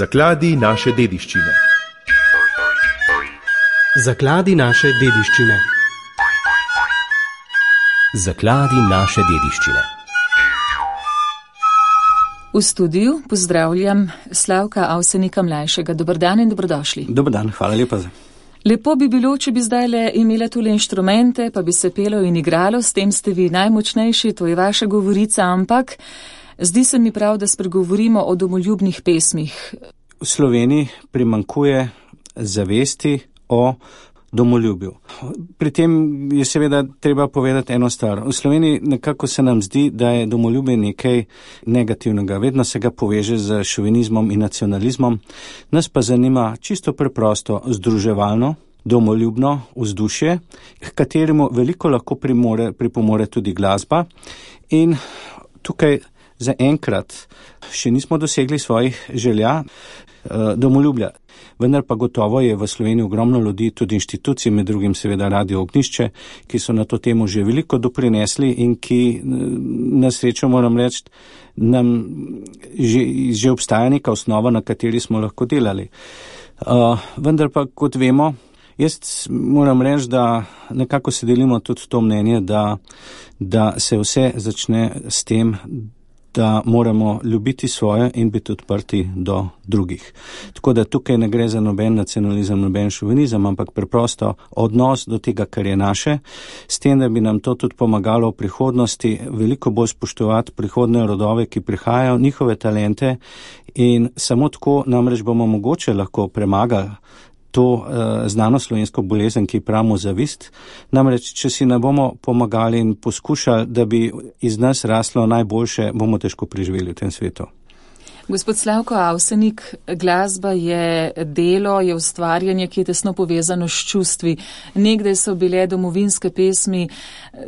Zakladi naše dediščine. Zakladi naše dediščine. Zakladi naše dediščine. V studiu pozdravljam Slavka Avsenika mlajšega. Dober dan in dobrodošli. Dober dan, hvala lepa. Lepo bi bilo, če bi zdajle imela tule inštrumente, pa bi se pelo in igralo, s tem ste vi najmočnejši, to je vaša govorica, ampak zdi se mi prav, da spregovorimo o domoljubnih pesmih. V Sloveniji primanjkuje zavesti o domoljubju. Pri tem je seveda treba povedati eno stvar. V Sloveniji nekako se nam zdi, da je domoljubje nekaj negativnega. Vedno se ga poveže z šovinizmom in nacionalizmom. Nas pa zanima čisto preprosto združevalno, domoljubno vzdušje, k kateremu veliko lahko pripomore tudi glasba. In tukaj zaenkrat še nismo dosegli svojih želja domoljubja. Vendar pa gotovo je v Sloveniji ogromno ljudi, tudi inštitucij, med drugim seveda Radio Ognjišče, ki so na to temo že veliko doprinesli in ki, na srečo moram reči, nam že obstaja neka osnova, na kateri smo lahko delali. Vendar pa, kot vemo, jaz moram reči, da nekako se delimo tudi to mnenje, da se vse začne s tem, da moramo ljubiti svoje in biti odprti do drugih. Tako da tukaj ne gre za noben nacionalizem, noben šovinizem, ampak preprosto odnos do tega, kar je naše, s tem, da bi nam to tudi pomagalo v prihodnosti veliko bolj spoštovati prihodne rodove, ki prihajajo, njihove talente, in samo tako namreč bomo mogoče lahko premagali to znano slovensko bolezen, ki pravimo zavist. Namreč, če si ne bomo pomagali in poskušali, da bi iz nas raslo najboljše, bomo težko preživeli v tem svetu. Gospod Slavko Avsenik, glasba je delo, je ustvarjanje, ki je tesno povezano s čustvi. Nekdaj so bile domovinske pesmi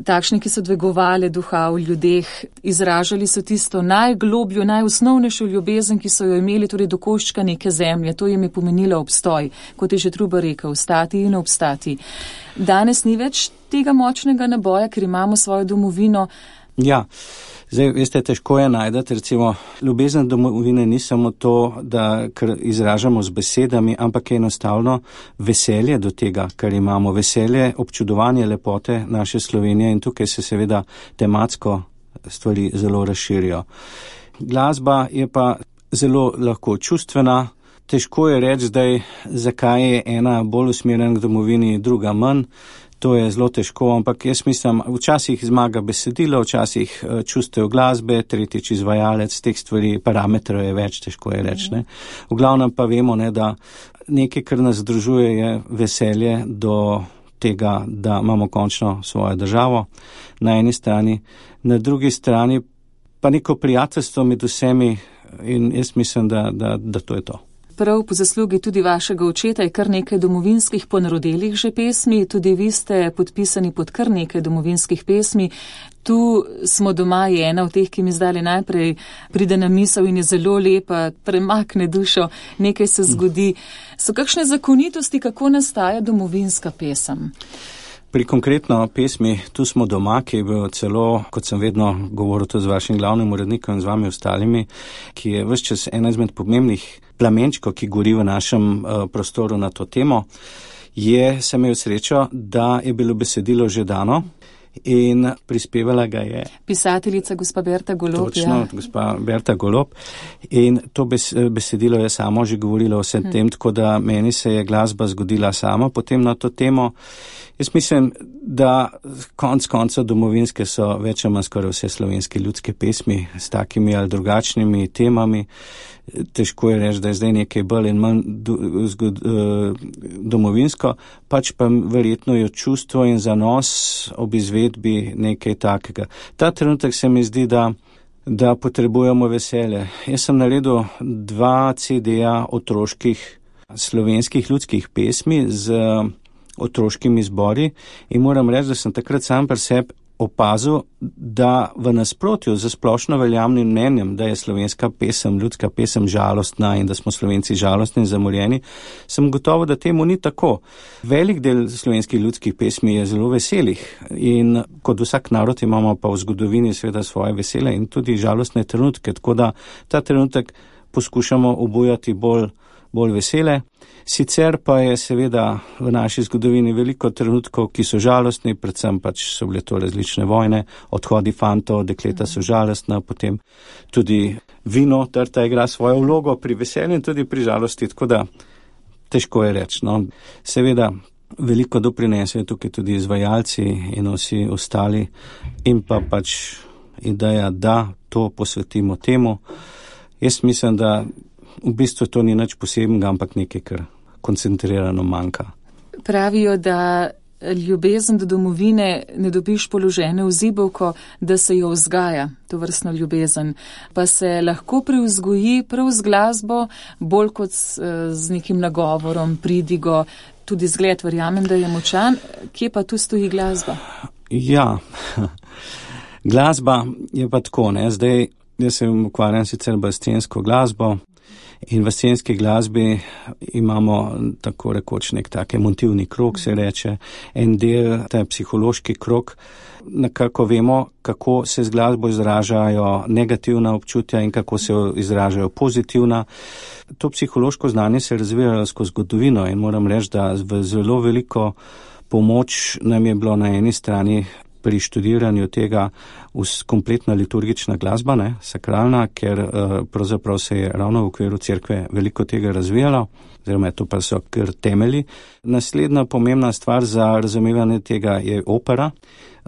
takšne, ki so dvigovale duha v ljudeh, izražali so tisto najglobljo, najosnovnejšo ljubezen, ki so jo imeli, torej do koščka neke zemlje. To jim je pomenilo obstoj, kot je že Trubar rekel, stati in obstati. Danes ni več tega močnega naboja, ker imamo svojo domovino. Ja. Zdaj, veste, težko je najdati, recimo, ljubezen domovine ni samo to, da kar izražamo z besedami, ampak je enostavno veselje do tega, kar imamo, veselje, občudovanje lepote naše Slovenije, in tukaj se seveda tematsko stvari zelo razširijo. Glasba je pa zelo lahko čustvena, težko je reči zdaj, zakaj je ena bolj usmerjena k domovini, druga manj. To je zelo težko, ampak jaz mislim, včasih zmaga besedilo, včasih čustev glasbe, tretjič izvajalec, teh stvari, parametrov je več, težko je reči. V glavnem pa vemo, da nekaj, kar nas združuje, je veselje do tega, da imamo končno svojo državo na eni strani, na drugi strani pa neko prijateljstvo med vsemi, in jaz mislim, da to je to. Prav po zaslugi tudi vašega očeta je kar nekaj domovinskih ponarodelih že pesmi, tudi vi ste podpisani pod kar nekaj domovinskih pesmi. Tu smo doma je ena od teh, ki mi zdaj najprej pride na misel in je zelo lepa, premakne dušo, nekaj se zgodi. So kakšne zakonitosti, kako nastaja domovinska pesem? Pri konkretno pesmi Tu smo doma, ki je bil celo, kot sem vedno govoril tudi z vašim glavnim urednikom in z vami ostalimi, ki je ves čas ena izmed pomembnih plamenčkov, ki gori v našem prostoru na to temo, sem imel srečo, da je bilo besedilo že dano in prispevala ga je pisateljica gospa Berta Golob. Točno, gospa Berta Golob. In to besedilo je samo že govorilo o vsem tem, tako da meni se je glasba zgodila sama potem na to temo. Jaz mislim, da konca domovinske so več ali manj skoraj vse slovenske ljudske pesmi s takimi ali drugačnimi temami. Težko je reči, da je zdaj nekaj bolj in manj domovinsko, pač pa verjetno je čustvo in zanos ob izvedbi nekaj takega. Ta trenutek se mi zdi, da potrebujemo veselje. Jaz sem naredil 2 CD-ja otroških slovenskih ljudskih pesmi z otroškimi zbori in moram reči, da sem takrat sam pri sebi opazil, da v nasprotju z splošno veljavnim mnenjem, da je slovenska pesem, ljudska pesem žalostna in da smo Slovenci žalostni in zamorjeni, sem gotovo, da temu ni tako. Velik del slovenskih ljudskih pesmi je zelo veselih in kot vsak narod imamo pa v zgodovini seveda svoje vesele in tudi žalostne trenutke, tako da ta trenutek poskušamo obujati bolj vesele. Sicer pa je seveda v naši zgodovini veliko trenutkov, ki so žalostni, predvsem pač so bile to različne vojne, odhodi fantov, dekleta so žalostna, potem tudi vino, trta igra svojo vlogo pri veselju in tudi pri žalosti, tako da težko je reči. No. Seveda veliko doprinesejo tukaj tudi izvajalci in vsi ostali in pa pač ideja, da to posvetimo temu. Jaz mislim, da v bistvu to ni nič posebnega, ampak nekaj, kar koncentrirano manjka. Pravijo, da ljubezen do domovine ne dobiš položene v zibelko, da se jo vzgaja, to vrstno ljubezen. Pa se lahko privzgoji prav z glasbo, bolj kot z nekim nagovorom, pridigo, tudi zgled, verjamem, da je močan. Kje pa tu stoji glasba? Ja, glasba je pa tako, ne, zdaj jaz se ukvarjam sicer bolj s scensko glasbo in v scenski glasbi imamo tako rekoč nek tak emotivni krog, se reče, en del, ta psihološki krog, nekako vemo, kako se z glasbo izražajo negativna občutja in kako se izražajo pozitivna. To psihološko znanje se razvija skozi zgodovino in moram reči, da v zelo veliko pomoč nam je bilo na eni strani pri študiranju tega kompletna liturgična glasba, ne, sakralna, ker pravzaprav se je ravno v okviru cerkve veliko tega razvijalo, oziroma to pa so kar temelji. Naslednja pomembna stvar za razumevanje tega je opera.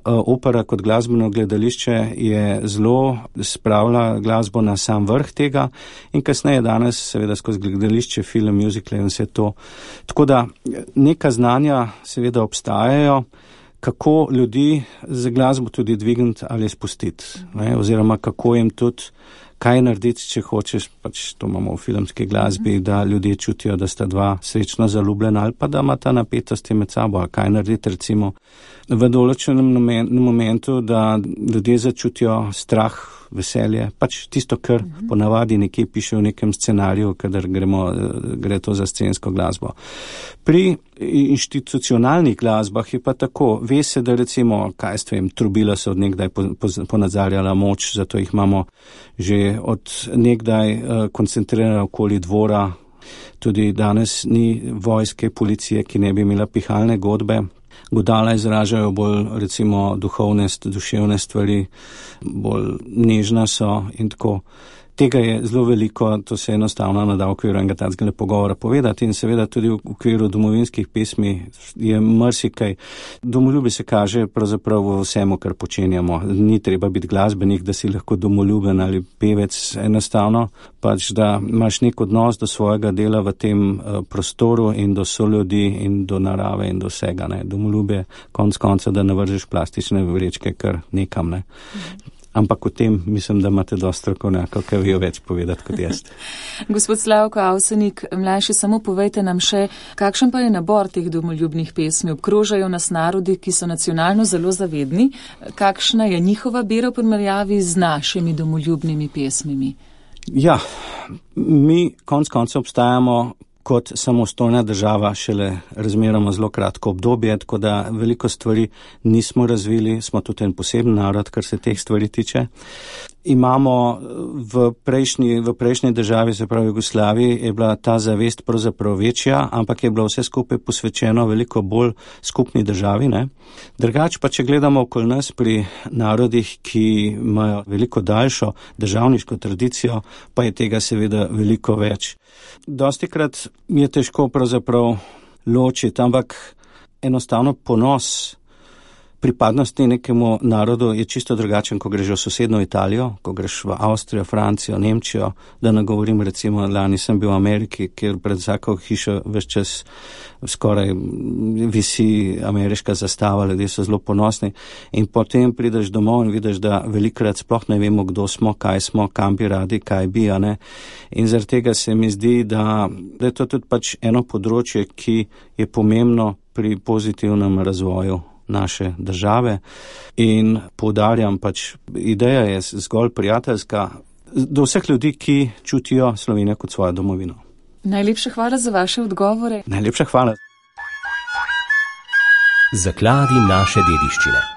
Opera kot glasbeno gledališče je zelo spravila glasbo na sam vrh tega in kasneje danes seveda skozi gledališče, film, muzikle in vse to. Tako da neka znanja seveda obstajajo, kako ljudi z glasbo tudi dvigniti ali spustiti, ne? Oziroma kako jim tudi kaj narediti, če hočeš, pač to imamo v filmski glasbi, da ljudje čutijo, da sta dva srečno zaljubljena ali pa da ima ta napetosti med sabo, ali kaj narediti recimo v določenem momentu, da ljudje začutijo strah, veselje, pač tisto, kar ponavadi nekje piše v nekem scenariju, kadar gre to za scensko glasbo. Pri institucionalnih glasbah je pa tako, ve se, da recimo, trobila so od nekdaj ponazarjala moč, zato jih imamo že od nekdaj koncentrirana okoli dvora, tudi danes ni vojske, policije, ki ne bi imela pihalne godbe. Godala izražajo bolj recimo duhovne, duševne stvari, bolj nežna so in tako. Tega je zelo veliko, to se enostavno nada v okviru enega takega pogovora povedati in seveda tudi v okviru domovinskih pesmi je marsikaj. Domoljubje se kaže pravzaprav v vsemu, kar počenjamo. Ni treba biti glasbenik, da si lahko domoljuben ali pevec, enostavno pač, da imaš nek odnos do svojega dela v tem prostoru in do soljudi in do narave in do vsega. Ne. Domoljubje konec konca, da ne vržeš plastične vrečke kar nekam. Ne. Ampak o tem mislim, da imate dosti strokovnjakov, ki vejo več povedati kot jaz. Gospod Slavko Avsenik, mlajši, samo povejte nam še, kakšen pa je nabor teh domoljubnih pesmi? Obkrožajo nas narodi, ki so nacionalno zelo zavedni. Kakšna je njihova bera v primerjavi z našimi domoljubnimi pesmimi? Ja, mi konec konca obstajamo kot samostojna država šele razmeroma zelo kratko obdobje, tako da veliko stvari nismo razvili, smo tudi en poseben narod, kar se teh stvari tiče. Imamo v prejšnji državi, se pravi Jugoslaviji, je bila ta zavest pravzaprav večja, ampak je bilo vse skupaj posvečeno veliko bolj skupni državi. Ne? Drugače pa, če gledamo okoli nas pri narodih, ki imajo veliko daljšo državniško tradicijo, pa je tega seveda veliko več. Dostikrat je težko pravzaprav ločiti, ampak enostavno ponos pripadnosti nekemu narodu je čisto drugačen, ko greš v sosedno Italijo, ko greš v Avstrijo, Francijo, Nemčijo, da ne govorim recimo, lani sem bil v Ameriki, kjer pred vsako hišo ves čas skoraj visi ameriška zastava, ljudje so zelo ponosni in potem prideš domov in vidiš, da velikrat sploh ne vemo, kdo smo, kaj smo, kam bi radi, kaj bi, a ne. In zaradi tega se mi zdi, da je to tudi pač eno področje, ki je pomembno pri pozitivnem razvoju naše države in poudarjam pač, ideja je zgolj prijateljska do vseh ljudi, ki čutijo Slovenijo kot svojo domovino. Najlepša hvala za vaše odgovore. Najlepša hvala. Zakladi naše dediščine.